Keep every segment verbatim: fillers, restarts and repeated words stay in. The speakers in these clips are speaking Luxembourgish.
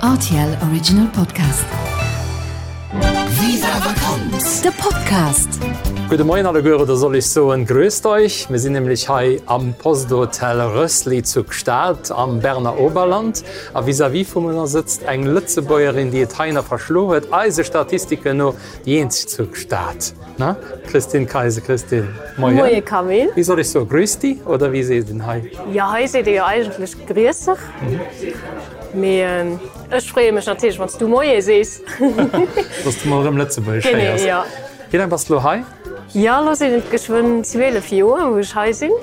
R T L Original Podcast. Viva Vakanz! De Podcast. Gudde Moien alleguer, oder soll ech soen, grüßt euch. Mir sinn nämlech hei am Posthotel Rössli zu Gstaad am Berner Oberland. A vis-à-vis vu mir sëtzt eng Lëtzebuergerin, déi et heihinner verschloen huet, eise Statistiken no déi eenzeg zu Gstaad. Na? Christine Kayser, Christine, moien. Moie Camille. Wéi soll ech soen, grüß di oder wéi seet een hei? Jo, hei seet ee jo eigentlech griessech. Mee ech freeë mech natierlech, wann s du Moie sees. Dass du mol erëm Lëtzebuergesch Genee, héiers. jo. Wéi laang bass du elo hei? Jo, elo sinn et geschwënn zwielef Joer, wou ech hei sinn.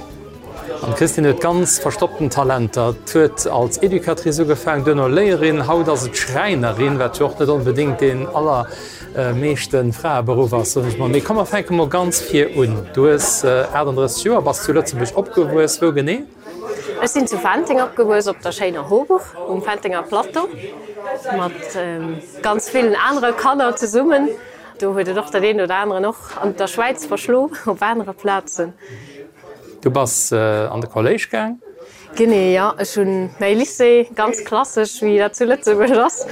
An d'Christine huet ganz verstoppten Talenter. Huet als Educatrice ugefaangen, duerno Léierin, haut ass et Schräinerin, wat jo och net onbedéngt deen allermeeschte Fraeberuff ass, soen ech mol. Mee komm, mer fänke mol ganz vir un. Du hues achtandrësseg Joer, bass zu Lëtzebuerg opgewuess. Wou genee? Ech sinn zu Fenteng opgewuess, op der schéiner Hoburg um Fentenger Plateau, mat ganz villen anere Kanner zesummen. Do huet et och dat eent oder aneren och an der Schwäiz verschlo, op anere Plazen. Du bass an de Kolléisch gaang? Genee, jo. Ech hunn mäi Lycée ganz klassesch, wéi dat zu Lëtzebuerg ass,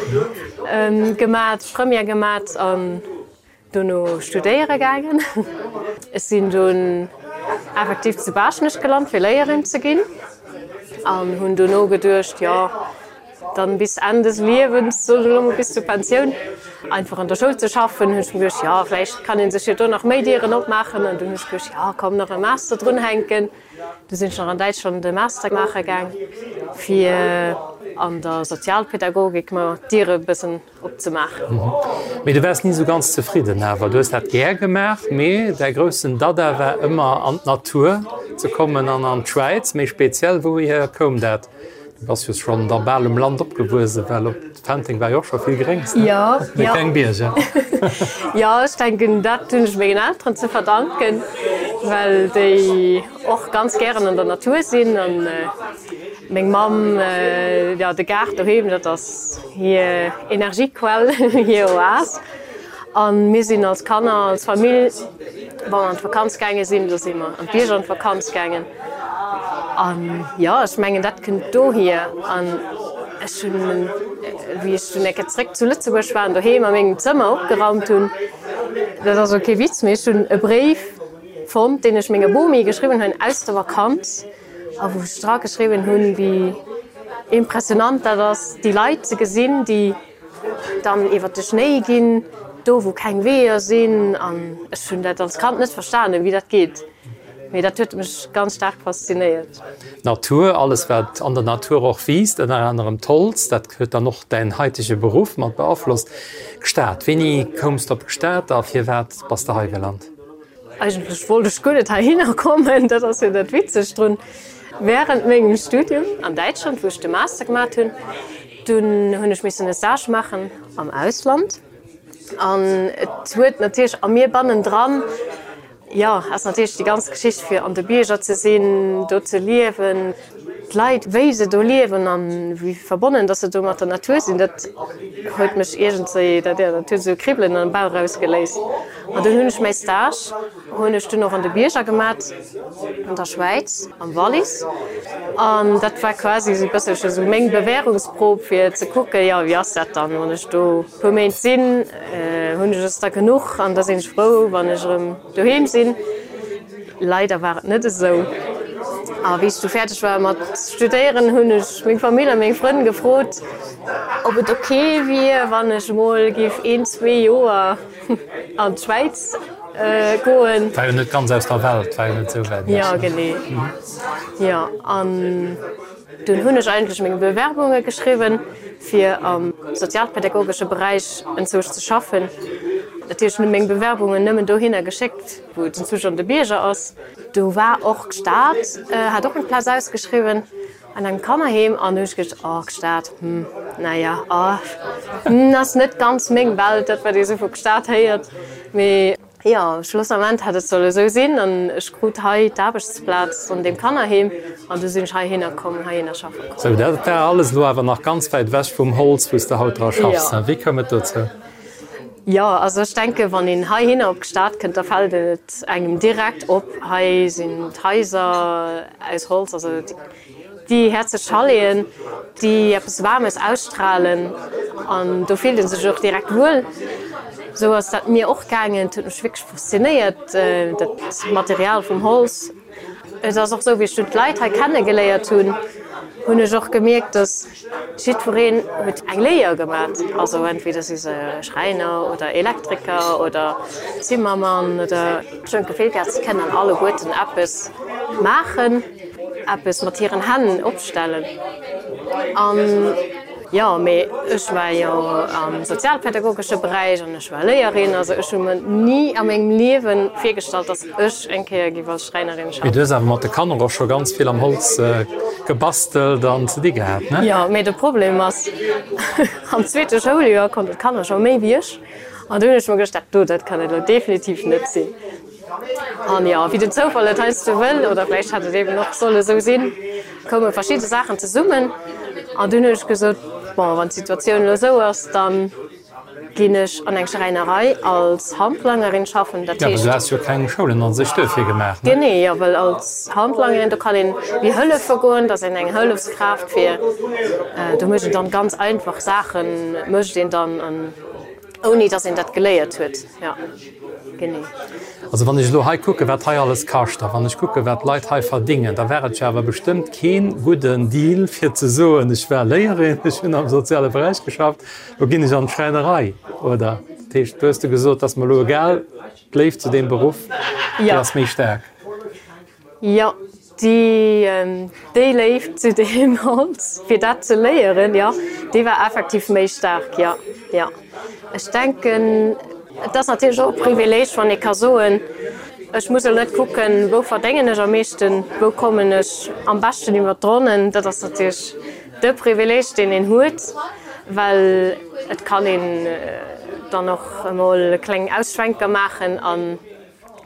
gemat, Première gemat an dono studéiere gaangen. Ech sinn dunn effektiv zu Baaschtnech gelant, fir Léierin ze ginn an hunn dono geduecht, jo, dann bis Enn des Liewens, soen ech elo mol, bis zur Pensioun einfach an der Schoul ze schaffen. Hunn ech mir geduecht, jo, vläicht kann ee sech jo do nach méi Dieren opmaachen. An dunn hunn ech geduecht, jo, komm, nach e Master drunhänken. Du sinn ech nach an Däitschland e Master maache gaang, fir an der Sozialpädagogik mer d'Diere e bëssen opzemaachen. Mee du waars ni esou ganz zefridden awer. Du hues dat gär gemaach, mee däi groussen Dada war ëmmer an d'Natur ze kommen an an d'Schwäiz méi speziell. Wouhier koum dat? Du bass jo schonn da bal um Land opgewuesse, well op Fenteng war jo och scho vill Gréngs, ne? Jo, Mee jo. keng Bierger. Jo, ech denken, dat hunn ech mengen Elteren ze verdanken, well déi och ganz gären an der Natur sinn. An meng Mamm, jo, de Gaart doheem, dat ass hir Energiequell, hir Oas. A mir sinn als Kanner, als Famill, wa mer an d'Vakanz gaange sinn, da si mer an d'Bierger an d'Vakanz gaangen. An jo, ech mengen, dat kënnt dohier. An ech hunn, wéi ech dunn eng Kéier zréck zu Lëtzebuerg war an doheem a mengem Zëmmer opgeraumt hunn, dat ass elo kee Witz, mee ech hunn e Bréif fonnt, deen ech menger Bomi geschriwwen hunn aus der Vakanz a wou ech dra geschriwwen hunn, wéi impressionant dat ass, déi Leit ze gesinn, déi dann iwwer de Schnéi ginn, do wou keng Weeër sinn. An ech hunn dat als Kand net verstanen, wéi dat geet. Mee dat huet mech ganz staark faszinéiert. D'Natur, alles wat an der Natur och wiisst, ënner anerem d'Holz, dat huet dann och däin haitege Beruff mat beaflosst. Gstaad, wéini koums de op Gstaad a firwat bass de hei gelant? Eigentlech wollt ech guer net heihinner kommen, dat ass jo dat Witzegt drun. Wärend mengem Studium an Däitschland, wou ech de Master gemat hunn, dunn hunn ech missen e Stage maachen am Ausland. An et huet natierlech a mir bannendran, jo, ass natierlech déi ganz Geschicht fir an de Bierger ze sinn, do ze liewen, d'Leit wéi se do liewen an wéi verbonnen dass se do mat der Natur sinn, dat huet mech iergendwéi, dat, jo, dat huet esou e Kribbelen am Bauch ausgeléist. An dunn hunn ech mäi Stage hunn ech dunn och an de Bierger gemat, an der Schwäiz, am Wallis. An dat war quasi esou e bësselche esou meng Bewährungsprobe fir ze kucken, jo, wéi ass dat dann, wann ech do e puer Méint sinn, hunn ech es da genuch an da sinn ech frou, wann ech erëm doheem sinn. Leider war et net esou. A wéi ech du fäerdeg war mat studéieren, hunn ech meng Famill a meng Frënn gefrot, ob et ok wier, wann ech emol géif een, zwee Joer an d'Schwäiz goen. War jo net ganz aus der Welt, war jo net esou wäit ewech. Jo, genee. Jo, an dunn hunn ech eigentlech meng Bewerbunge geschriwwen, fir am sozialpädagogesche Beräich enzwousch ze schaffen. Natierlech hunn meng Bewerbungen nëmmen dohinner geschéckt, wou et enzwousch an de Bierger ass. Do war och Gstaad, hat och eng Plaz ausgeschriwwen an engem Kannerheem an du hunn ech geduecht, oh Gstaad, hm, naja, oh, hm, ass net ganz meng Welt, dat wat ee sou vu Gstaad héiert. Mee jo, schlussament hat et solle esou sinn an ech krut hei d'Aarbechtsplaz an deem Kannerheem an du sinn ech heihinner komm, heihinner schaffe komm. Sou, dat war alles elo awer nach ganz wäit ewech vum Holz, wou s de haut dra schaffs. Jo. Wéi koum et dozou? Jo, also ech denke wann een heihinner op d'Stad kënnt, da fält et engem direkt op, hei sinn d'Haiser aus Holz, also déi häerzeg Chaleten, déi eppes Waarmes ausstralen. An do fillt ee sech och direkt wuel. Sou ass dat mir och gaangen, et huet mech wierklech faszinéiert, dat Material vum Holz. Et ass och sou, wéi ech dunn d'Leit hei kennegeléiert hunn, hunn ech och gemierkt, dass jiddwereen huet eng Léier gemat. Also entweder si se Schräiner oder Elektriker oder Zimmermann oder. Ech hunn d'Gefill gehat, se kënnen alleguerten eppes maachen, eppes mat hiren Hänn opstellen. An jo, mee ech war jo am sozialpädagogesche Beräich an ech war Léierin. Also ech hu mer ni a mengem Liewe virgestallt, dass ech eng Kéier géif als Schräinerin Mee schaffen. du hues awer mat de Kanner och scho ganz vill am Holz gebastelt an ze di gehat, ne? Jo, mee de Problem ass, am zweete Schouljoer konnten d'Kanner scho méi wéi ech. An du hunn ech mer geduecht, dat do, dat kann et elo definitiv net sinn. An jo, wéi den Zoufall et heiansdo wëll, oder vläicht hätt et eben och solle esou sinn, koume verschidde Saachen zesummen an dunn hunn ech gesot, bon, wann d'Situatioun elo esou ass, da ginn ech an eng Schräinerei als Handlangerin schaffen. Dat heescht. Jo, well du has jo keng Schoulen a sech duerfir gemaach, ne? Genee, jo, well als Handlangerin, do kann een wéi hëllefe goen, dat ass een eng Hëllefskraaft fir, do mécht een dann ganz einfach Saachen, mécht een dann an. Ouni dass een dat geléiert huet, jo, genee. Also wann ech elo hei kucken, wat hei alles kascht, a wann ech kucken, wat d'Leit hei verdingen, da wär et jo awer bestëmmt kee gudden Deal, fir ze soen, ech war Léierin, ech hunn am soziale Beräich geschafft, elo ginn ech an d'Schräinerei, oder? Dat heescht, do hues de gesot, dat ass mer elo egal, d'Léift zu deem Beruff, déi ass méi staark. Jo, déi Léift zu deem Holz, fir dat ze léieren, jo, déi war effektiv méi staark, jo, jo. Ech denken, et ass natierlech och e Privileeg, wann ee ka soen, ech muss elo net kucken, wou verdéngen ech am meeschten, wou kommen ech am beschten iwwer d'Ronnen. Dat ass natierlech de Privileeg, deen een huet, well et kann een dann och emol kleng Ausschwenker maachen an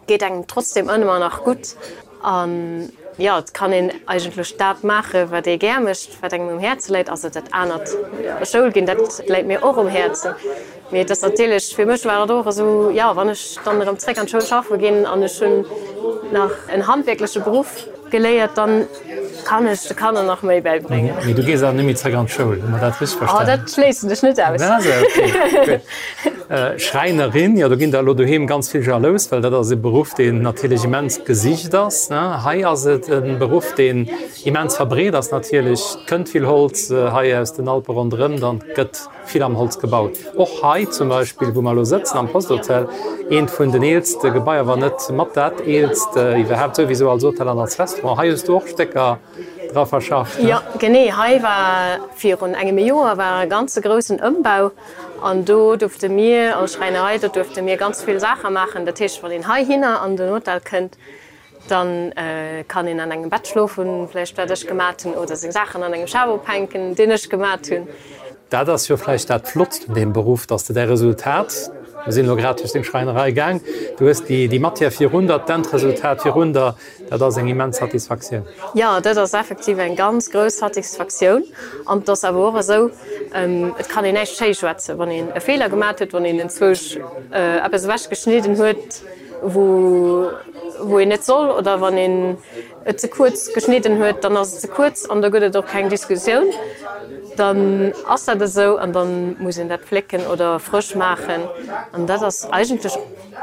geet engem trotzdem ëmmer nach gutt. An jo, et kann een eigentlech dat maachen, wat ee gär mécht, wat engem um Häerze läit. Also dat anert, Schoul ginn, dat läit mir och um Häerzen. Mee et ass natierlech, fir mech war et och esou, jo, wann ech dann erëm zréck an d'Schoul schaffe ginn an ech hunn nach en handwierkleche Beruff geléiert, dann kann ech de Kanner nach méi bäibréngen. Mee du gees awer net méi zréck an d'Schoul, hu mer dat richteg verstanen? Oh, dat schléissen ech net aus. Ah esou, okay, gutt. Schräinerin, jo, do ginn der elo doheem ganz vill jalous, well dat ass e Beruff, deen natierlech immens gesicht ass, ne? Hei ass et e Beruff, deen immens verbreet ass natierlech. Et kënnt vill Holz hei aus den Alpe ronderëm, dann gëtt vill am Holz gebaut. Och hei zum Beispill, wou mer elo sëtzen am Posthotel, eent vun den eelste Gebaier, wann net mat dat eelst iwwerhaapt, souwisou als Hotel an als Restaurant. Hei hues du och Stécker dra verschafft, ne? Jo, genee. Hei war virun engem Joer war e ganze groussen Ëmbau an do duerfte mir als Schräinerei, do duerfte mir ganz vill Saache maachen. Dat heescht, wann een heihinner an den Hotel kënnt, Dann kann een an engem Bett schlofen, vläicht wat ech gemat hunn, oder seng Saachen an engem Schaf ophänken, deen ech gemat hunn. Dat ass jo vläicht dat Flottst un deem Beruff, dass de däi Resultat, mir sinn elo grad duerch deng Schräinerei gaang, du hues déi Matière virun der, d'Endresultat virun der, dat ass eng immens Satisfaktioun. Jo, dat ass effektiv eng ganz grouss Satisfaktioun. An et ass awer och esou, et kann een näischt schéischwätzen, wann een e Feeler gemat huet, wann een enzwousch eppes ewechgeschnidden huet, wou wou een net soll, oder wann een et ze kuerz geschnidden huet, dann ass et ze kuerz an da gëtt et och keng Diskussioun, dann ass dat esou an da muss een dat flécken oder frësch maachen. An dat ass eigentlech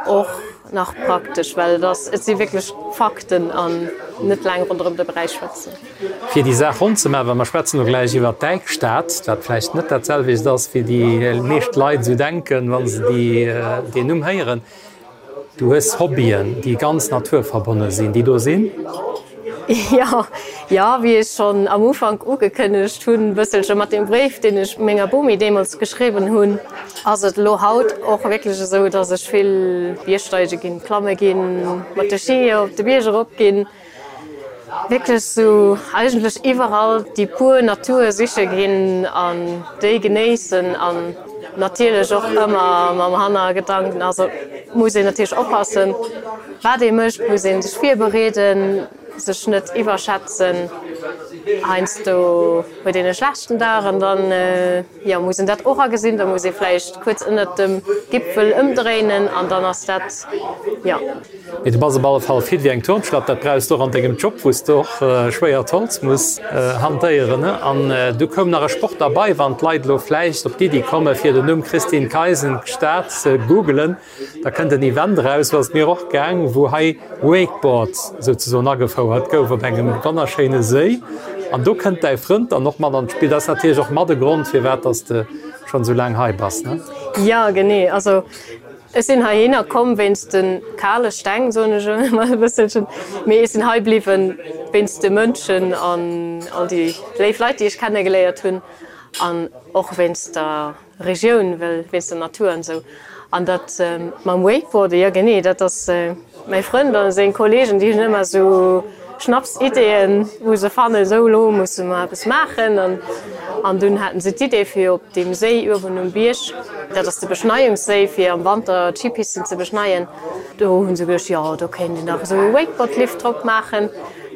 och nach praktesch, well et ass, et si wierklech Fakten an net laang ronderëm de Bräi schwätzen. Fir déi Saach ronn ze maachen, well mer schwätzen elo gläich iwwert d'Däikstad, wat vläicht net dat selwecht ass, wéi déi meescht Leit esou denken, wa se déi deen Numm héieren. Du hues Hobbyen, déi ganz naturverbonne sinn, déi do sinn? Jo, jo, wéi ech schonn am Ufank ugekënnegt hunn, bësselche mat deem Bréif, deen ech menger Bomi deemools geschriwwen hunn, ass et elo haut och wierklech esou, dass ech vill Biergsteige ginn, klamme ginn, mat de Skier op de Bierg erop ginn. Wierklech sou eigentlech iwwerall déi pur Natur siche ginn an déi genéissen an natierlech och ëmmer mam Hannergedanken, also muss een natierlech oppassen wat ee mécht, muss ee sech virbereeden, sech net iwwerschätzen. Heiansdo huet een e schlechten Dag an dann jo muss een dat och agesinn, da muss ee vläicht kuerz ënnert dem Gipfel ëmdréinen an dann ass dat jo. Mee du bass op alle Fall fit wéi eng Turnschlapp, dat brauchs de och an dengem Job, wou s de och schwéiert Holz muss hantéieren. An du koum nach e Sport derbei, wann d'Leit elo vläicht op d'Iddi komme fir den Numm Christine Keisen Gstaad ze googelen, da kënnt en Event eraus, sou ass et mir och gaang, wou hei Wakeboard souzesoen agefouert gouf op engem wonnerschéine Séi. An do kënnt däi Frënd dann och mat an d'Spill. Dat ass natierlech och mat e Grond, firwat dass de schonn esou laang hei bass, ne? Jo, genee. Also Ech sinn heihinner komm wéinst de kale Steng, soen ech emol e bësselchen, mee ech sinn hei bliwwen wéinst de Mënschen an all déi léif Leit, déi ech kennegeléiert hunn an och wéinst der Regioun, well wéinst der Natur an esou. An dat mam Wakeboarden, jo genee, dat ass mäi Frënd a seng Kollegen, déi hunn ëmmer esou Schnapsideeën, wou se fannen, esou elo musse mer eppes maachen. An dunn haten se d'Idee fir op deem Séi uewen um Bierg, dat ass de Beschneiungsséi fir am Wanter d'Skipisten ze beschneien, do hu se geduecht, jo do kéint een dach esou e Wakeboard-Lift drop maachen,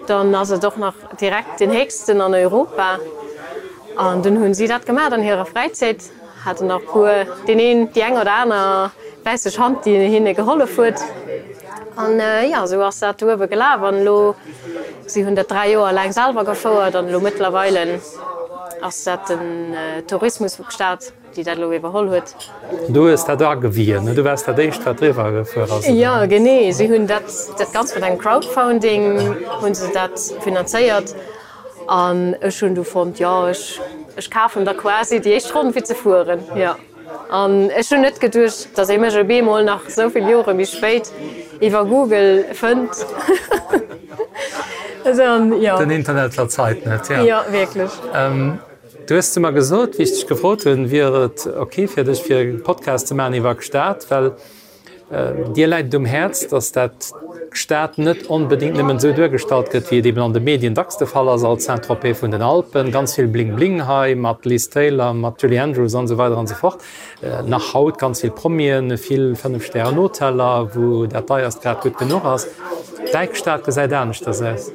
dann ass et och nach direkt deen héchsten an Europa. An dunn hu si dat gemaach an hirer Fräizäit, haten nach puer, deen een, déi eng oder aner wäisseg Hand, déi hinne gehollef huet. An jo, esou ass dat do uewe gelaf. An elo, si hunn dat dräi Joer laang selwer gefouert an elo mëttlerweile ass dat den Tourismus vu Gstaad, déi dat elo iwwerholl huet. Du hues dat agewien, ne? Du waars dat éischt, wat driwwer gefuer ass, oder? Jo, genee. Si hunn dat, dat Ganzt mat engem Crowdfounding hu se dat finanzéiert. An ech hunn du fonnt, jo, ech, ech kafen der quasi déi éischt Ronn fir ze fueren, jo. An ech hunn net geduecht, datt ee mech op eemol nach esou vill Jore méi spéit iwwer Google fënnt. Jo. Den Internet verzeit net, jo. Jo, wierklech. Du hues zu mer gesot, wéi ech dech gefrot hunn, wier et ok fir dech fir e Podcast ze maachen iwwer Gstaad, well dir läit et um Häerz, datt dat Gstaad net onbedéngt nëmmen esou duergestallt gëtt, wéi et eben an de Medien dacks de Fall ass, als Saint-Tropez vun den Alpen, ganz vill Bling-Bling hei mat Liz Taylor, mat Julie Andrews an esou weider an esou fort. Nach haut ganz vill Promien, vill Fënnef-Stären-Hoteller, wou dat Deierst grad gutt genuch ass. Däi Gstaad gesäit aneschters aus.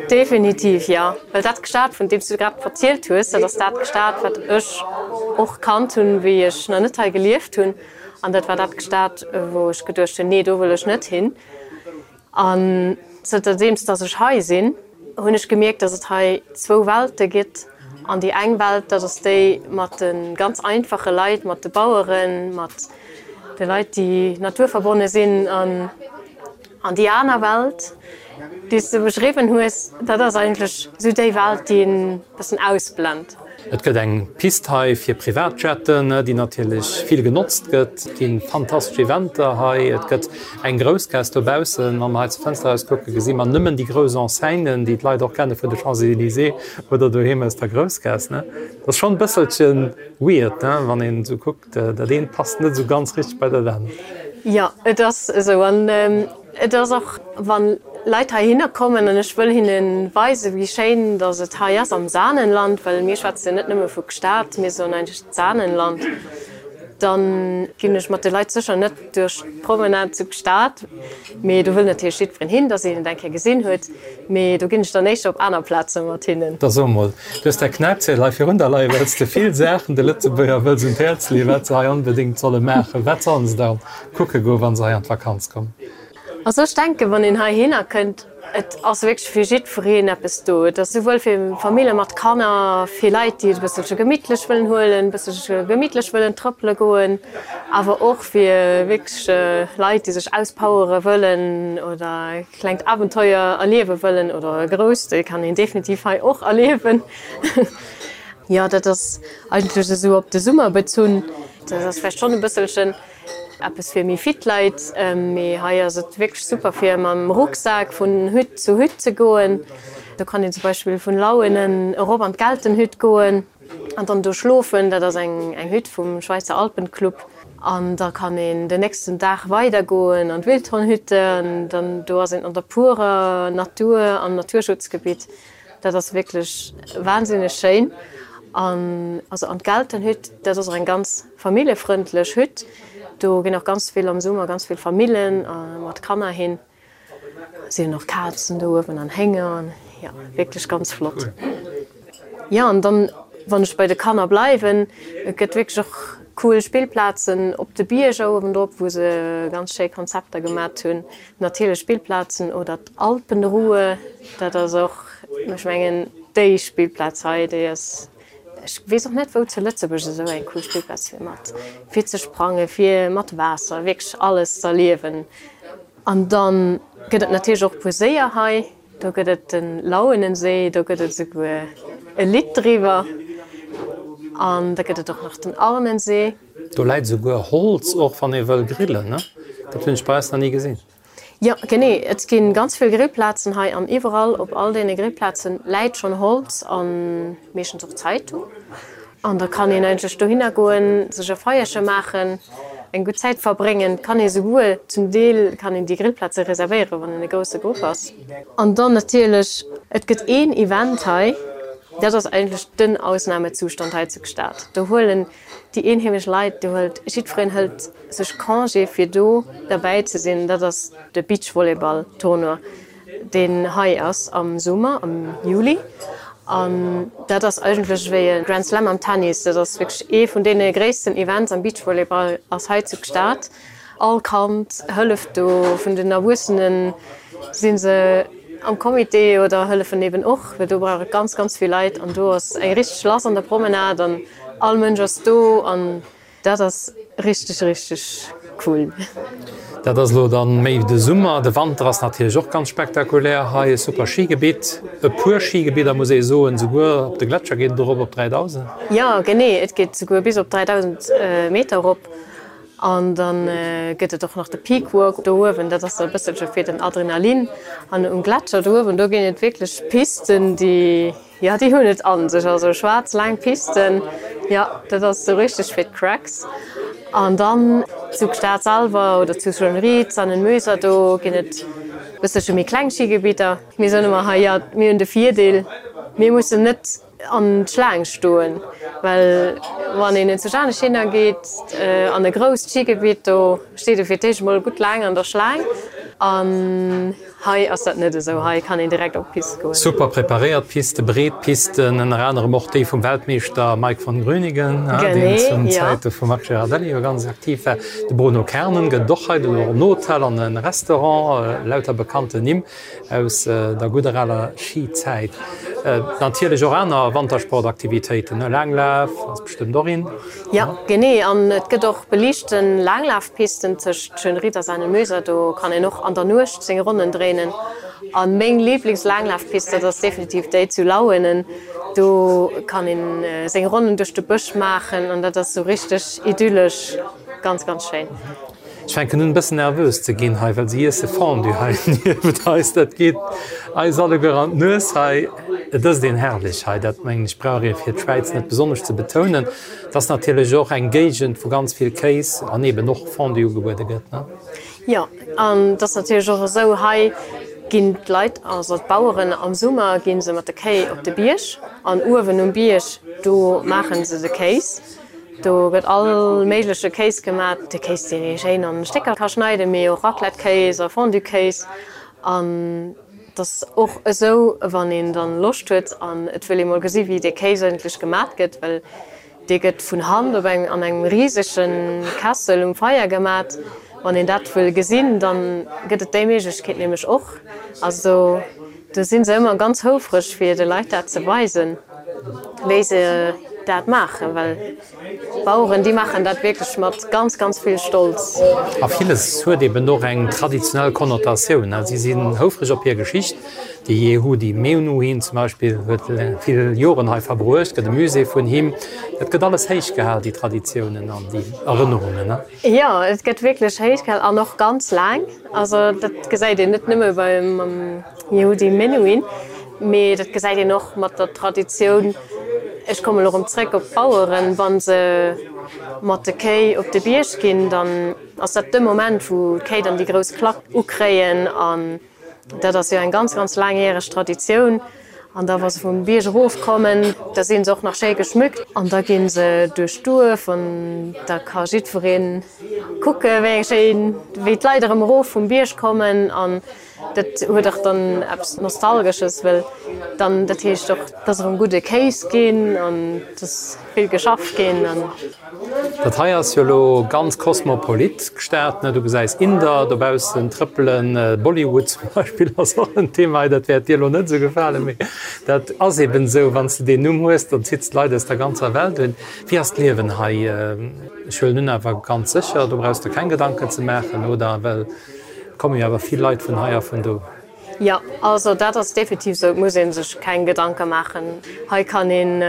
Definitiv, jo. Well dat Gstaad, vun deem s du grad verzielt hues, dat ass dat Gstaad, wat ech och kannt hunn, wéi ech nach net hei gelieft hunn. An dat war dat Gstaad, wou ech geduecht hunn, nee, do wëll ech net hin. An zënterdeems dass ech hei sinn, hunn ech gemierkt, dass et hei zwou Welte gëtt. An déi eng Welt, dat ass déi mat de ganz einfache Leit, mat de Baueren, mat de Leit, déi naturverbonne sinn. An An déi aner Welt, déi s de beschriwwen hues, dat ass eigentlech esou déi Welt, déi een e bëssen ausblent. Et gëtt eng Pist hei fir Privatjetten, déi natierlech vill genotzt gëtt. Et gi fantastesch Eventer hei. Et gëtt eng Groussgaass dobaussen. Wa mer hei zur Fënster eraus kucken, gesi mer nëmmen déi grouss Enseignen, déi d'Leit och kenne vun de Champs-Élysées oder doheem aus der Groussgaass. Dat ass schonn e bësselche weird, wann een esou kuckt. Dat eent passt net esou ganz richteg bei dat anert. Jo, et ass esou. An et ass och, wa Leit heihinner kommen an ech wëll hinne weisen, wéi schéin datt et hei ass am Saanenland, well mir schwätzen jo net nëmme vu Gstaad, mir soen eigentlech d'Saanenland, da ginn ech mat de Leit sécher net duerch d'Promenade zu Gstaad, mee do wëll natierlech jiddwereen hin, datt een et eng Kéier gesinn huet, mee do ginn ech dann éischter op aner Plaze mat hinnen. Da so mol, du hues däi Knäipziedel hei virun der leien, well s de vill Saachen de Lëtzebuerger wëlls un d'Häerz leeën, wat se hei onbedéngt solle maachen. Wat sollen se da kucke goen, wa se hei an d'Vakanz kommen? Also ech denken, wann een heihinner kënnt, et ass wierklech fir jiddwereen eppes do. Et ass souwuel fir Famille mat Kanner, fir Leit, déi et e bësselche gemittlech wëllen huelen, e bësselche gemittlech wëllen trëppele goen, awer och fir wierklech Leit, déi sech auspowere wëllen oder e klengt Abenteuer erliewe wëllen oder e grousst, déi kann een definitiv hei och erliewen. Jo, dat ass eigentlech esou op de Summer bezunn. Dat ass vläicht schonn e bësselchen Eppes fir méi fit Leit, mee hei ass et wierklech super fir mam Rucksak vun Hütt zu Hütt ze goen. Do kann een zum Beispill vun Lauenen erop an d'Geltenhütt goen an dann do schlofen. Dat ass eng eng Hütt vum Schweizer Alpenclub. An da kann een den nächsten Dag weider goen an d'Wildhornhütte an dann do ass een an der purer Natur am Naturschutzgebitt. Dat ass wierklech wahnsinneg schéin. An also an d'Geltenhütt, dat ass och eng ganz familljefrëndlech Hütt. Do ginn och ganz vill am Summer ganz vill Famillen mat Kanner hin. Si hunn och Kazen do uewen an Hénger an jo, wierklech ganz flott. Jo, an dann Wann ech bei de Kanner bleiwen, et gëtt wierklech och cool Spillplazen op de Bierger uewendrop, wou se ganz schéi Konzepter gemat hunn, natierlech Spillplazen oder d'Alpenruhe, dat ass och, ech mengen, déi Spillplaz hei, déi ass, ech weess och net, wou zu Lëtzebuerg esou eng cool Spillplaz wier mat fir ze sprangen, fir mat Waasser, wierklech alles z'erliewen. An dann gëtt et natierlech och puer Séier hei. Do gëtt et de Lauenensee, do gëtt et esouguer e Lidd driwwer. An da gëtt et och nach den Arnensee. Do läit esouguer Holz och, wann ee wëll grillen, ne? Dat hunn ech bei eis nach ni gesinn. Jo, genee. Et gi ganz vill Grillplazen hei an iwwerall op all deene Grillplaze läit schonn Holz a meeschtens och Zeitung. An da kann een eigentlech dohinner goen, sech e Feierche maachen, eng gutt Zäit verbréngen. Kann ee souguer, zum Deel kann een déi Grillplaze reservéieren, wann een e grousse Grupp ass. An dann natierlech, et gëtt een Event hei, dat ass eigentlech den Ausnamezustand hei zu Gstaad. Do huelen déi eenheemesch Leit, do huelt jiddwereen hëlt sech Congé fir do derbäi ze sinn, dat ass de Beachvolleyball-Tournoi. deen hei ass am Summer, am Juli. An dat ass eigentlech wéi e Grand Slam am Tennis. Dat ass wierklech ee vun deene gréissten Events am Beachvolleyball ass hei zu Gstaad. All Kand hëlleft do, vun den Erwuessene si se am Comité oder hëllefen eben och, well do brauch et ganz, ganz vill Leit. An do ass eng richteg lass an der Promenade an all Mënsch ass do an dat ass richteg, richteg cool. Dat ass elo dann méi de Summer. De Wanter ass natierlech och ganz spektakulär hei. E super Schigebitt, e puer Schigebidder muss ee soen, souguer op de Gletscher geet et erop op dräidausend. Jo, genee, et geet souguer bis op dräidausend Meter erop. An da gëtt et och nach de Peak Walk do uewen, dat ass e bësselche fir den Adrenalin. An um Gletscher do uewen, do ginn et wierklech Pisten, déi, jo, déi hunn et a sech. Also schwaarz laang Pisten, jo, dat ass esou richteg fir d'Cracks. An dann zu Gstaad selwer oder zu Schönried, Saanenmöser, do ginn et bësselche méi kleng Schigebidder. Mir soen ëmmer hei, jo, mir hunn de Virdeel, mir mussen net an d'Schlaang stoen, well wann een zu anescht hinner geet an e grousst Schigebitt, do steet ee fir d'éischt emol gutt laang an der Schlaang. An hei ass dat net esou, hei kann een direkt op d'Pist goen. Super preparéiert Piste, breet Pisten, ënner anerem och déi vum Weltmeeschter Mike von Grünigen, deen zu Zäite vum Marc Girardelli jo ganz aktiv war. De Bruno Kernen gëtt et och hei, do och en Hotel an e Restaurant, lauter bekannten Nimm aus der gudder aler Schizäit. Natierlech och aner Wantersportaktivitéiten, ne? Laanglaf ass bestëmmt och in. Jo, genee. An et gëtt och beliichten Laanglafpisten tëscht Schönried a Saanenmöser. Do kann een och an der Nuecht seng Ronnen dréinen. A meng Liiblingslaanglafpist, dat ass definitiv déi zu Lauenen. Do kann een seng Ronnen duerch de Bësch maachen an dat ass sou richteg idyllesch, ganz, ganz schéin. Ech fänken un e bëssen nervös ze ginn hei, well se iesse Fondue hei niewent eis. Dat geet eis alleguer an d'Nues hei. Et ësst een herrlech hei, dat mengen ech brauch ee fir d'Schwäiz net besonnesch ze betounen. Et ass natierlech och eng Géigend, wou ganz vill Kéis an eeben och Fondue ugebuede gëtt, ne? Jo, an et ass natierlech och esou, hei ginn d'Leit, also d'Baueren am Summer gi se mat de Kéi op de Bierg an uewen um Bierg do maache se de Kéis. Do gëtt all méigleche Kéis gemat, de Kéis deen ee schéin an Stécker ka schneiden, mee och Raclette-Kéis a Fondue-Kéis. An et ass och esou, wann een dann Loscht huet an et wëll ee mol gesi wéi dee Kéis eigentlech gemat gëtt, well dee gëtt vun Hand op engem an engem risege Kessel um Feier gemat. Wann een dat wëll gesinn, dann gëtt et déi Méiglechkeet nämlech och. Also do si se ëmmer ganz houfreg fir de Leit dat ze weisen, wéi se dat maachen, well d'Baueren, déi maachen dat wierklech mat ganz, ganz vill Stolz. A villes huet eben och eng traditionell Konnotatioun. Si sinn houfreg op hir Geschicht. De Yehudi Menuhin zum Beispill huet vill Joren hei verbruecht, gëtt e Musée vun him. Dat gëtt alles héich gehal, déi Traditiounen an déi Erënnerungen. Jo, et gëtt wierklech héich gehal an och ganz laang. Also dat gesäit een net nëmme beim Yehudi Menuhin, mee dat gesäit een och mat der Traditioun, ech kommen elo erëm zréck op d'Baueren, wa se mat de Kéi op de Bierg ginn, dann ass dat de Moment, wou d'Kéi dann déi grouss Klack ukréien. An dat ass jo eng ganz, ganz laangjäreg Traditioun. An da wa se vum Bierg erofkommen, da si se och nach schéi geschmückt an da gi se duerch d'Duerf an da ka jiddweree kucke wéi eng schéin, wéi d'Leit erëm erof vum Bierg kommen. An Dat huet och dann eppes Nostalgesches, well dann dat heescht och, dass erëm gudde Kéis ginn an dass vill geschafft ginn an. Dat hei ass jo elo ganz kosmopolit, d'Stad, ne? Du gesäis Inder dobaussen trëppelen, Bollywood zum Beispill ass och en Thema hei, dat wäert dir elo net esou gefalen, mee dat ass eben esou, wann s de deen Numm hues, dann zitts d'Leit aus der ganzer Welt un. Wéi ass d'Liewen hei? Ech huelen un, awer ganz sécher, do brauchs de keng Gedanken ze maachen, oder? Well et komme jo awer vill Leit vun hei a vun do. Jo, also dat ass definitiv esou, et muss ee sech keng Gedanke maachen. Hei kann een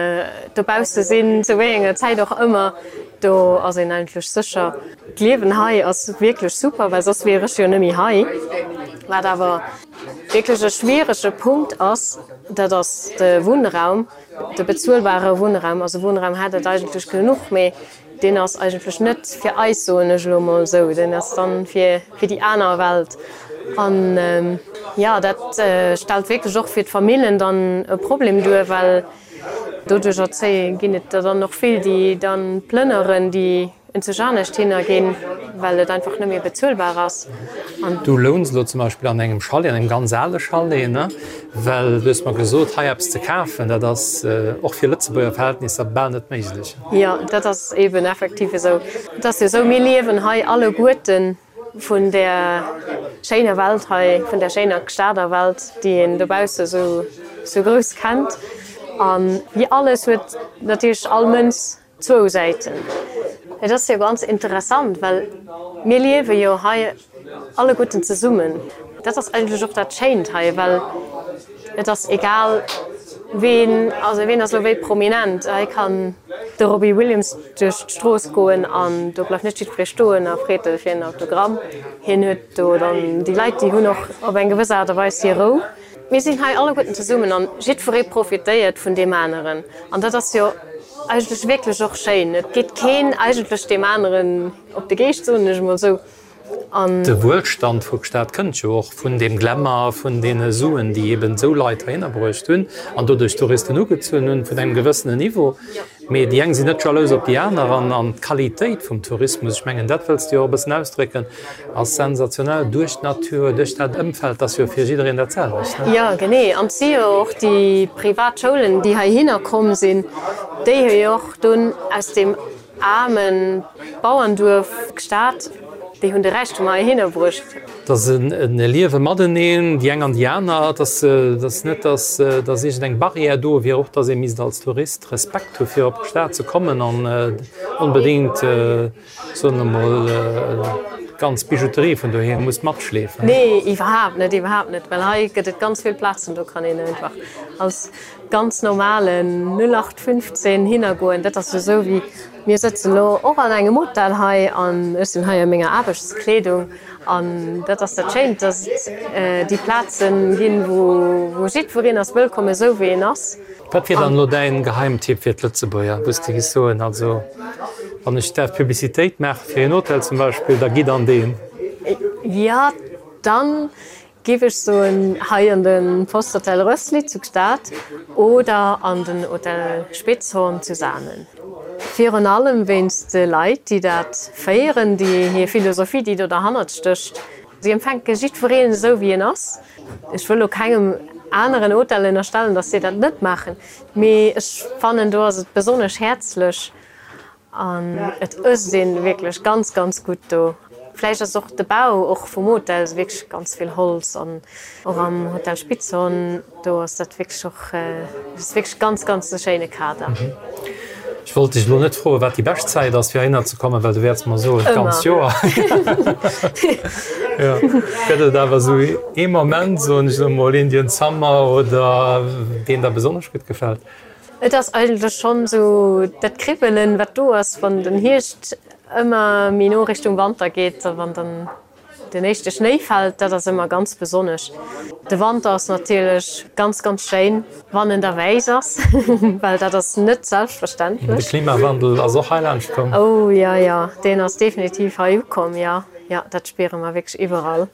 dobausse sinn, zu wéi enger Zäit och ëmmer, do ass een eigentlech sécher. D'Liewen hei ass wierklech super, well soss wier ech jo net méi hei. Wat awer wierklech e schwierege Punkt ass, dat ass de Wunnraum, de bezuelbare Wunnraum. Also Wunnraum hätt et eigentlech genuch, mee deen ass eigentlech net fir eis, soen ech elo emol esou, deen ass dann fir fir déi aner Welt. An jo, dat stellt wierklech och fir d'Famillen dann e Problem duer, well doduercher zéie ginn et der dann och vill, déi dann plënneren, déi enzeg anescht hinner ginn, well et einfach net méi bezuelbar ass. An. Du louns elo zum Beispill an engem Chalet, an engem ganz ale Chalet, ne? Well du hues mer gesot, hei eppes ze kafen, dat ass och fir Lëtzebuerger Verhältnisser bal net méiglech. Jo, dat ass eeben effektiv esou. Et ass jo esou, mir liewen hei alleguerten vun där schéiner Welt hei, vun där schéiner Stader Welt, déi een dobausse sou sou grouss kennt. A wéi alles huet natierlech all Mënz zwou Säiten. Et ass jo ganz interessant, well mir liewe jo hei alleguerten zesummen. Dat ass eigentlech och dat Schéint hei, well et ass egal, ween, also ween ass elo wéi prominent. Hei kann de Robbie Williams duerch d'Strooss goen an do bleift net jiddweree stoen a freet e fir en Autogramm. Hien huet do dann déi Leit, déi hunn och op eng gewëss Aart a Weis hir Rou. Mir sinn hei alleguerten zesummen an jiddweree profitéiert vun deem aneren an dat ass jo eigentlech wierklech och schéin. Et geet keen eigentlech deem aneren op de Geescht, soen ech emol esou. An. De Wuelstand vu Gstaad kënnt jo och vun deem Glamour, vun deene Suen, déi eben esou Leit heihinner bruecht hunn an doduerch Touristen ugezunn hunn, vun engem gewëssenen Niveau. Mee déi eng sinn net jalous op déi aner an an d'Qualitéit vum Tourismus, ech mengen dat wëlls de jo och e bëssen ausdrécken, ass sensationell duerch d'Natur, duerch dat Ëmfeld, ass jo fir jiddereen dat selwecht, ne? Jo, genee. An et si jo och déi privat Schoulen, déi heihinner komm sinn, déi hu jo och dunn aus deem aarme Bauernduerf Gstaad, déi hunn de Räichtum heihinner bruecht. Et ass e Liewe mateneen, déi eng an déi aner. Et ass net, datt datt iergendeng Barrière do wier, och datt ee misst als Tourist Respekt hu fir op d'Stad ze kommen an onbedéngt, soen mer mol, d'ganz Bijouterie vun doheem muss matschleefen. Nee, iwwerhaapt net, iwwerhaapt net, well hei gëtt et ganz vill Plazen, do kann een einfach als ganz normalen null acht fünfzehn hinnergoen. Dat ass jo esou wéi, mir sëtzen elo och an engem Hotel hei an ech sinn hei a menger Aarbechtskleedung an dat ass dat Schéint, dass et déi Plazen ginn, wou jiddwereen ass wëllkomm, esou wéi en ass. Wat wier dann elo däin Geheimtipp fir d'Lëtzebuerger, wou s de giss soen, also wann ech däerf Publicitéit maache fir een Hotel zum Beispill, da gitt an deen? Jo, dann Giff ech soen, hei an de Posthotel Rössli zu Gstaad oder an den Hotel Spitzhorn zu Saanen. Virun allem wéinst de Leit, déi dat féieren, déi hir Philosophie, déi do derhannert stécht. Si empfänke jiddwereen esou wéi en ass. Ech wëll lo kengem aneren Hotel ënnerstellen, dass si dat net maachen, mee ech fannen do ass et besonnesch häerzlech. An et ësst een wierklech ganz, ganz gutt do. Vläicht ass och de Bau och vum Hotel, ass wierklech ganz vill Holz an och am Hotel Spitzhorn, do ass dat wierklech och, ass wierklech ganz, ganz e schéine Kader. Ech wollt dech elo net froen, wat déi bescht Zäit ass, fir heihinner ze kommen, well du wäerts mer soen, d'ganzt Joer. Jo, gëtt et awer esou ee Moment, soen ech elo mol, Indian Summer oder deen der besonnesch gutt gefält? Et ass eigentlech schonn esou dat Kribbelen, wat do ass, wann den Hierscht ëmmer méi no Richtung Wanter geet a wann dann den éischte Schnéi fält, dat ass ëmmer ganz besonnesch. De Wanter ass natierlech ganz, ganz schéin, wann en da wäiss ass, well dat ass net selbstverständlech. De Klimawandel ass och hei laanscht komm. Oh jo, jo, deen ass definitiv hei ukomm, jo, jo, dat spiere mer wierklech iwwerall.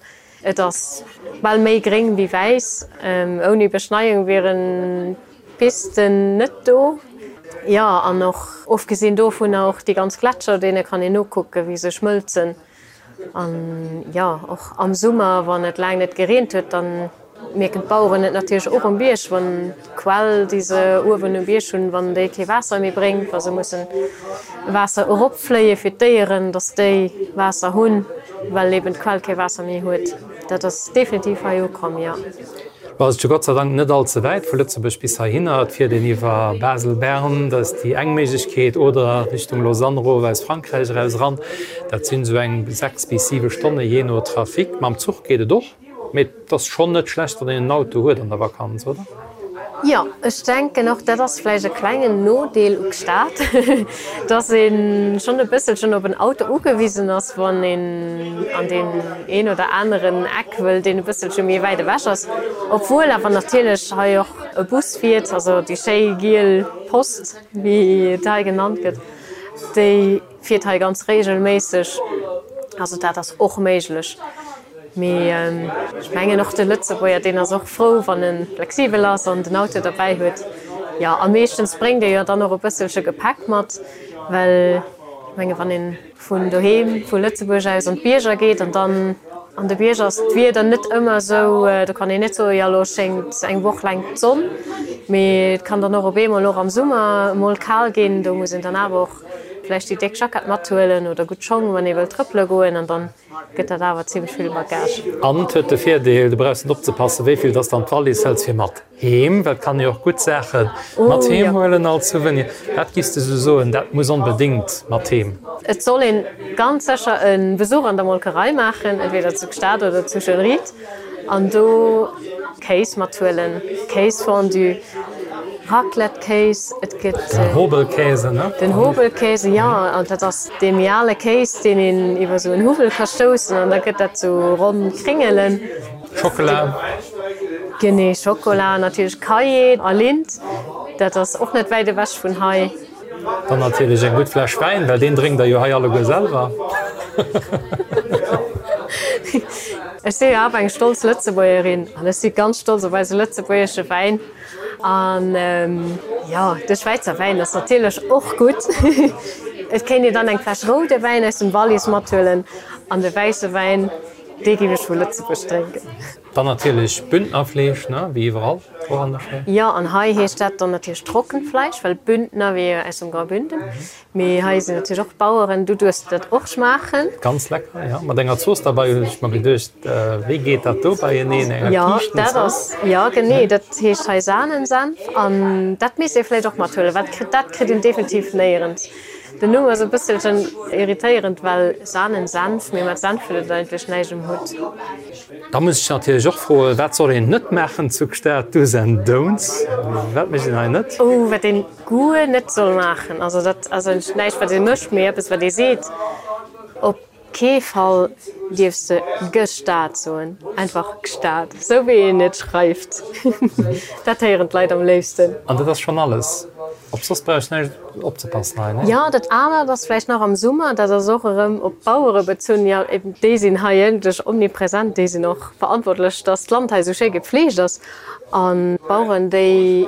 Et ass bal méi gréng wéi wäiss. Ouni Beschneiung wieren d'Pisten net do. Jo, an och ofgesinn dovunner och déi ganz Gletscher, deene kann een nokucken, wéi se schmëlzen. An jo, och am Summer, wann et laang net gereent huet, dann mierken d'Baueren et natierlech och um Bierg, wann d'Quell, déi se uewen um Bierg hunn, wann déi kee Waasser méi bréngt, wa se mussen Waasser eropfléie fir d'Déieren, dass déi Waasser hunn, well eben d'Quell kee Waasser méi huet. Dat ass definitiv hei ukomm, jo. Lo ass et jo Gott sei Dank net all ze wäit vu Lëtzebuerg bis heihinner. Et fiert een iwwer Basel, Bern, dat ass déi eng Méiglechkeet, oder Richtung Lausanne erof aus Frankräich eraus eran. Dat sinn esou eng sechs bis siwe Stonne jee no Trafic. Mam Zuch geet et och. Mee et ass schonn net schlecht, wann een en Auto huet an der Vakanz, oder? Jo, ech denken och, dat ass vläicht e klengen Nodeel u Gstaad, dass ee schonn e bësselchen op en Auto ugewisen ass, wann een an deen een oder aneren Eck wëll, deen e bësselche méi wäit ewech ass. Obwuel awer natierlech hei och e Bus fiert, also déi schéi giel Post, wéi et hei genannt gëtt, déi fiert hei ganz reegelméisseg. Also dat ass och méiglech. Mee ech mengen och de Lëtzebuerger, deen ass och frou, wann e flexibel ass an den Auto derbäi huet. Jo, a meeschtens bréngt ee jo dann och e bësselche Gepäck mat, well ech menge wann ee vun doheem, vu Lëtzebuerg aus an d'Bierger geet an dann an de Bierger ass d'Wieder net ëmmer esou, do kann een net soen, jo elo schéngt eng Woch laang d'Sonn, mee et kann dann och op eemol och am Summer emol kal ginn. Do muss een dann awer och vläicht déi déck Jackett mathuelen oder gutt Schong, wann ee wëllt trëppele goen an dann gëtt dat awer zimmlech vill Bagage. An et huet de Virdeel, du brauchs net opzepassen, wéi vill dass de an d'Wallis hëls fir mat heem, well et kann ee jo och gutt Saache mat heem huelen als Souvenir. Wat giffs de sou soen, dat muss onbedéngt mat heem? Et soll een ganz sécher e Besuch an der Molkerei maachen, entweder zu Gstaad oder zu Schönried, an do Kéis mathuelen, Kéisfondue. Raclette-Kéis, et gëtt. Den Hobelkäse, ne? Den Hobelkäse, jo. An dat ass dee méi ale Kéis, deen een iwwer esou en Huwwel ka stoussen an da gëtt dat sou ronn Kringelen. Schockela. Genee, Schockela, natierlech Cailler a Lindt. Dat ass och net wäit ewech vun hei. Dann natierlech eng gutt Fläsch Wäin, well deen drénkt der jo hei alleguer selwer. Ech si jo awer eng stolz Lëtzebuergerin an ech si ganz stolz op eise lëtzebuergesche Wäin. An jo, de Schwäizer Wäin ass natierlech och gutt. Et kéint een dann eng Fläsch roude Wäin aus dem Wallis mathuelen an de wäisse Wäin, dee géif ech vu Lëtzebuerg drénken. Dann natierlech Bündnerfleesch, ne, wéi iwwerall och an der Schwäiz. Jo, an hei heescht dat dann natierlech Trockenfleisch, well Bündner wier jo aus dem Graubünden. Mee hei sinn natierlech och Baueren, du duerfs dat och schmaachen. Ganz lecker, jo. Mat enger Zooss derbei hunn ech mer geduecht, wéi geet dat do beieneen, enger Jo, dat Kiischtenzooss? ass, jo genee, dat heescht hei Sahnensenf an dat misst ee vläicht och mathuelen, well dat kritt een definitiv néierens. Den Numm ass e bësselchen irritéierend, well Sahnensenf, mee mat Senf huet et eigentlech näischt um Hutt. Da muss ech natierlech och froen, wat soll een net maachen zu Gstaad? Do's and Don'ts, wat mécht een hei net? Oh, wat een guer net soll maachen, also dat ass eigentlech näischt wat ee mécht, mee eppes wat ee seet, op kee Fall dierfs de Gestaad soen, einfach Gstaad, sou wéi een et schreift, dat héieren d'Leit am léifsten. An dat ass schonn alles? Op soss brauch ech näischt opzepassen hei, nee? Jo, dat anert ass vläicht nach am Summer, dat ass och erëm op d'Bauere bezunn, jo eben déi sinn hei iergendlech omnipresent, déi sinn och verantwortlech, dass d'Land hei esou schéi gepfleegt ass. An d'Baueren, déi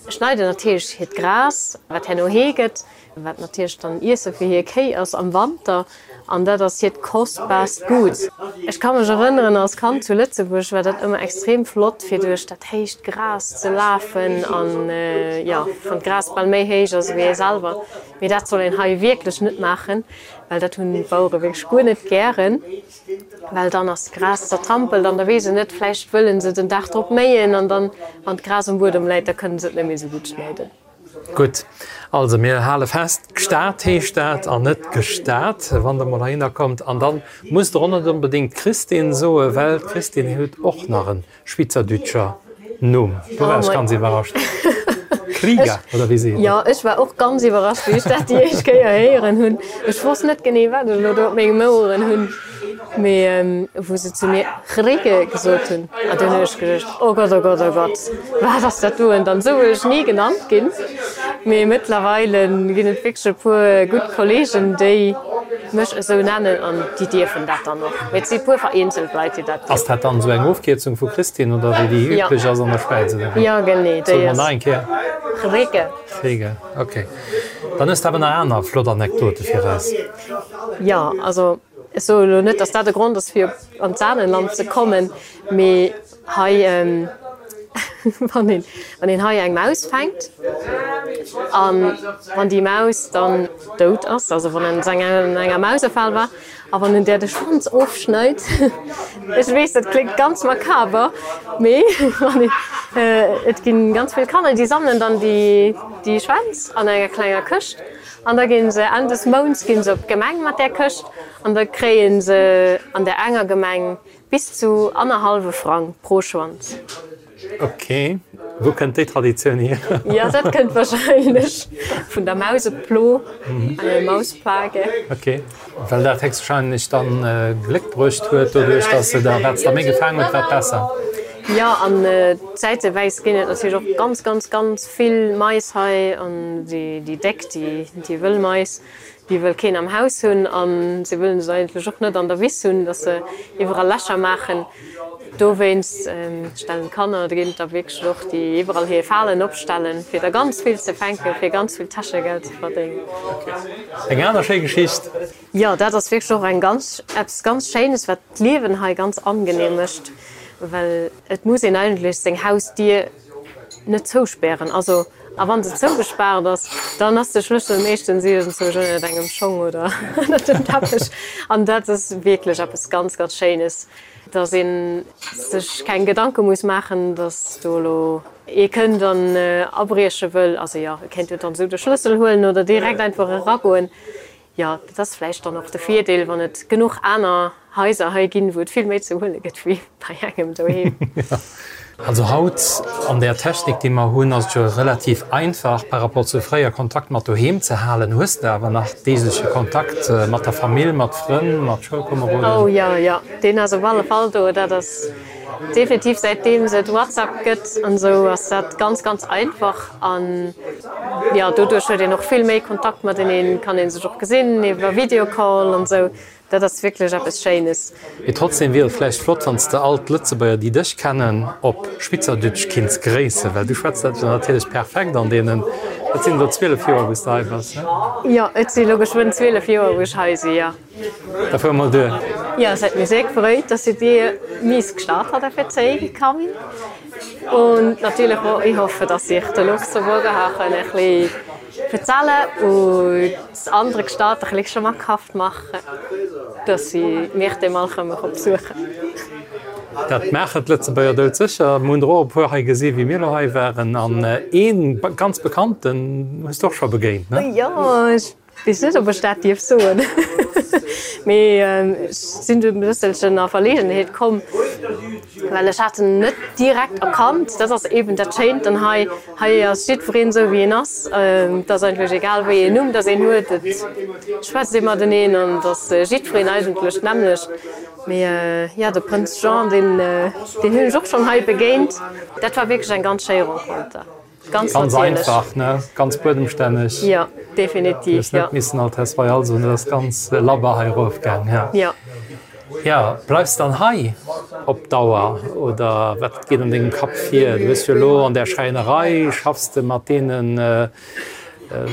schneiden natierlech hiert Gras, wat herno Hee gëtt, wat natierlech dann Iesse fir hir Kéi ass am Wanter, an dat ass hiert kostbaarst Gut. Ech ka mech erënneren, als Kand zu Lëtzebuerg war dat ëmmer extrem flott, fir duerch dat héicht Gras ze lafen an, jo, wann d'Gras bal méi héich ass ewéi ee selwer. Mee dat soll een hei wierklech net maachen, well dat hunn d'Bauere wierklech guer net gären, well dann ass d'Gras zertrampelt an da weess een net, vläicht wëlle se den Dag drop méien an dann, wann d'Gras um Buedem läit, da kënne se et net méi esou gutt schneiden. Gutt, also mir hale fest, Gstaad heescht dat an net Gestad, wann der mol heihinner kommt. An dann musst der och net onbedéngt Christine soen, well d'Christine huet och nach e schwyzerdütscher Numm. Do war ech ganz iwwerrascht. Krieger, oder wéi seet een? Jo, ech war och ganz iwwerrascht, wéi ech dat déi éischt Kéier héieren hunn. Ech wosst net genee, wat ech elo do op mengem Oueren hunn. Mee wou se zu mir Chricke gesot hunn, an dunn hunn ech geduecht, Oh Gott, oh Gott, oh Gott, wat ass dat doen? Dann esou wëll ech ni genannt ginn. Mee mëttlerweile ginn et wierklech e puer gutt Kolleegen, déi mech esou nennen an déi dierfen dat dann och. Mee et si puer vereenzelt Leit, déi dat Ass dat dann esou eng Ofkierzung vu Christine oder wéi déi üblech ass an der Schwäiz, oder wéi? Jo, genee, Soe déi mer ass. nach eng Kéier. Chricke. Chricke, ok. Dann hues de awer nach aner flott Anekdote fir eis. Jo, also. Ech soe lo net, dass dat de Grond ass, fir an d'Saanenland ze kommen, mee hei, wann een, wann een hei eng Maus fänkt an wann déi Maus dann dout ass, also wann en an enger Mausefal war a wann en där de Schwanz ofschneit, ech weess, dat kléngt ganz makaber, mee wann een, et ginn ganz vill Kanner, déi sammelen dann déi, déi Schwänz an enger klenger Këscht an da ginn se Enn des Mounts ginn se op d'Gemeng mat där Këscht an da kréie se an där enger Gemeng bis zu annerhallwe Frang pro Schwanz. Ok, wou kënnt déi Traditioun hier? Jo, dat kënnt wahrscheinlech vun der Mauseplo, eine Mausplage. Ok, well dat héchstwahrscheinlech dann Gléck bruecht huet, doduerch dass se da, wat se da méi gefaang huet, wat besser. Jo, an zäitewäis ginn et natierlech och ganz, ganz, ganz vill Mais hei an déi déck, déi wëll Mais. Déi wëll keen am Haus hunn a se wëllen se eigentlech och net an der Wiss hunn, dass se iwwerall Lächer maachen. Dowéinst stellen d'Kanner, do ginn et der wierklech och, déi iwwerall hir Falen opstellen, fir der ganz vill ze fänken, fir ganz vill Täschegeld ze verdéngen. Eng aner schéi Geschicht. Jo, dat ass wierklech och eng ganz, eppes ganz Schéines, wat d'Liewen hei ganz angenehm mécht, well et muss een eigentlech seng Hausdier net zouspären. Also, a wann se zougespaart ass, dann ass de Schlëssel meeschtens iergendzwousch ënnert engem Schong oder ënnert dem Teppech. An dat ass wierklech eppes ganz, ganz Schéines, dass ee sech keng Gedanke muss maachen, dass do elo ee kënnt an abrieche wëll. Also jo, e kéint jo dann esou de Schlëssel huelen oder direkt einfach eragoen. Jo, dat ass vläicht dann och de Virdeel, wann et genuch aner Haiser hei ginn, wou et vill méi ze huele gëtt wéi bei engem doheem. Also haut an där Technik, déi mer hunn, ass et jo relativ einfach par rapport zu fréier Kontakt mat doheem ze halen. Hues de awer nach deegleche Kontakt mat der Famill, mat Frënn, mat Schoulkomeroden? Oh jo, jo, deen ass op alle Fall do. Dat ass definitiv, säitdeems et WhatsApp gëtt an esou, ass dat ganz, ganz einfach. An jo, doduerch huet een och vill méi Kontakt mateneen, kann ee sech och gesinn iwwer Videocall an esou. Dat ass wierklech eppes Schéines. Mee trotzdem wier et vläicht flott, wann s de all d'Lëtzebuerger, déi dech kennen, op Schwyzerdütsch kinns gréissen, well du schwätz dat jo natierlech perfekt an deenen, et sinn elo zwielef Joer, wou s de hei bass, ne? Jo, et si elo geschwënn zwielef Joer, wou ech hei si, jo. Da fuere mer duer. Jo, es huet mech sehr gefreut, dass ich dir mies gestartet habe für zeigen kann. Und natürlich auch, ich hoffe, dass ich den Luxemburger habe können ein bisschen erzählen und das andere Gstaad ein bisschen schmackhaft machen, dass sie mich dann mal kommen besuchen. Dat maachen d'Lëtzebuerger doudsécher. Mir hunn der och e puer hei gesi wéi mir elo hei waren. An ee ganz bekannten hues de och scho begéint, ne? Jo, ech Weess net, ob ech dat dierf soen, mee ech sinn du e bësselchen a Verlegenheet komm, well ech hat en net direkt erkannt. Dat ass eben dat Schéint dann hei, hei ass jiddwereen esou wéi en ass. Et ass eigentlech egal wéi een Numm dass een huet, et schwätzt ee mateneen an et ass jiddwereen eigentlech d'nämmlecht. Mee jo, de Prënz Jean, deen deen hunn ech och schonn hei begéint. Dat war wierklech eng ganz schéi Renconter. Ganz, ganz einfach, ne? Ganz buedemstänneg. Jo, definitiv. Du hues net missen Altesse Royale soen, dat ass ganz labber hei erofgaang. Ja. Ja. Ja, bleifs dann hei op Dauer oder wat geet an dengem Kapp vir? Du hues jo elo an där Schräinerei, schaffs de mat deene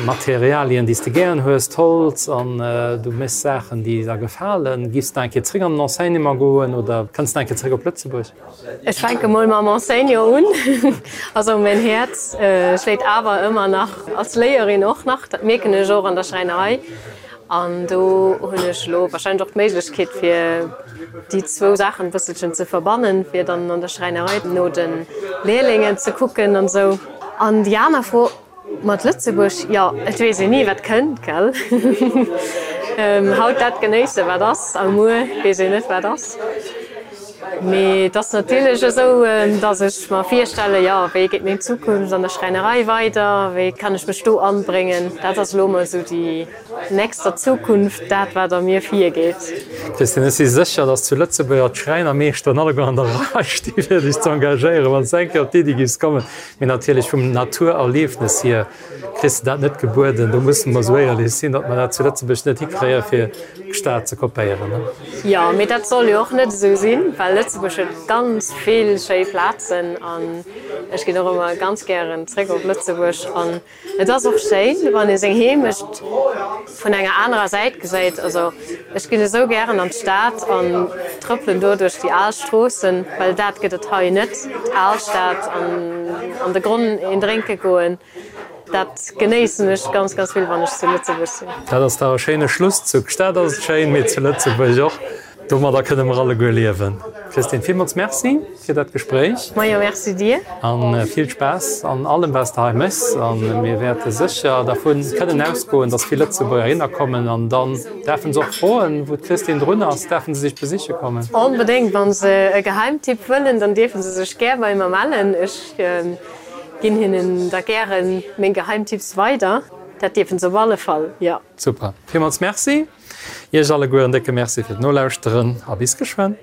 Materialien, déi s de gären hues, d'Holz, an du méchs Saachen, déi der gefalen. Giffs de nach eng Kéier zréck an den Enseignement goen oder kënns de nach eng Kéier zréck op Lëtzebuerg? Ech fänke mol mam Enseignant un. Also mäin Häerz schléit awer ëmmer nach als Léierin och nach. Dat mierken ech och an der Schräinerei. An do hunn ech elo warscheinlech och d'Méiglechkeet fir déi zwou Saachen e bësselchen ze verbannen, fir dann an der Schräinerei no de Lehrlingen ze kucken an esou. An déi aner Fro, Mat Lëtzebuerg, jo, et weess een ni wat kënnt, gell? Haut dat genéissen wat ass a muer weess een net wat ass. Mee et ass natierlech esou, datt ech mer virstellen, jo, wéi geet meng Zukunft an der Schräinerei weider, wéi kann ech mech do anbréngen? Dat ass elo emol esou déi nächster Zukunft dat wat a mir virgeet. Christine, ech si sécher, datt zu Lëtzebuerger d'Schräinermeeschteren alleguer an der Rei sti fir dech ze engagéieren, wann s de eng Kéier op d'Iddi giffs kommen. Mee natierlech vum Naturerliefnes hier kriss de dat net gebueden. Do musse mer esou éierlech sinn, datt mer dat zu Lëtzebuerg net hikréie fir d'Stad ze kopéieren. Jo, mee dat soll jo och net esou sinn, well Lëtzebuerg huet ganz vill schéi Plazen an ech ginn och ëmmer ganz gären zréck op Lëtzebuerg. An et ass och schéin, wann ee seng Heemecht vun enger anerer Säit gesäit. Also Ech ginn esou gären an d'Stad an trëppelen do duerch déi al Stroossen, well dat gëtt et hei net, d'Alstad an an de Gronn een drénke goen, dat genéissen ech ganz, ganz vill, wann ech zu Lëtzebuerg sinn. Dat ass dach e schéine Schluss. Zu Gstaad ass et schéin, mee zu Lëtzebuerg och. Domadder kënne mer alleguer liewen. Christine, villmools Merci fir dat Gespréich. Majo, merci dir. A vill Spaass an allem, wat s de hei méchs. A mir wäerte sécher dervu kënnen ausgoen, dass vill Lëtzebuerger hinner kommen. An dann däerfe se och froen, wou d'Christine drun ass. Däerfe se sech besiche kommen? Onbedéngt. Wa se e Geheimtipp wëllen, dann dierfe se sech gär bei mer mellen. Ech ginn hinnen da gäre meng Geheimtipps weider. Dat dierfe se op alle Fall, jo. Super. Villmools Merci. Iech alleguer en décke Merci fir d'Nolauschteren a bis geschwënn.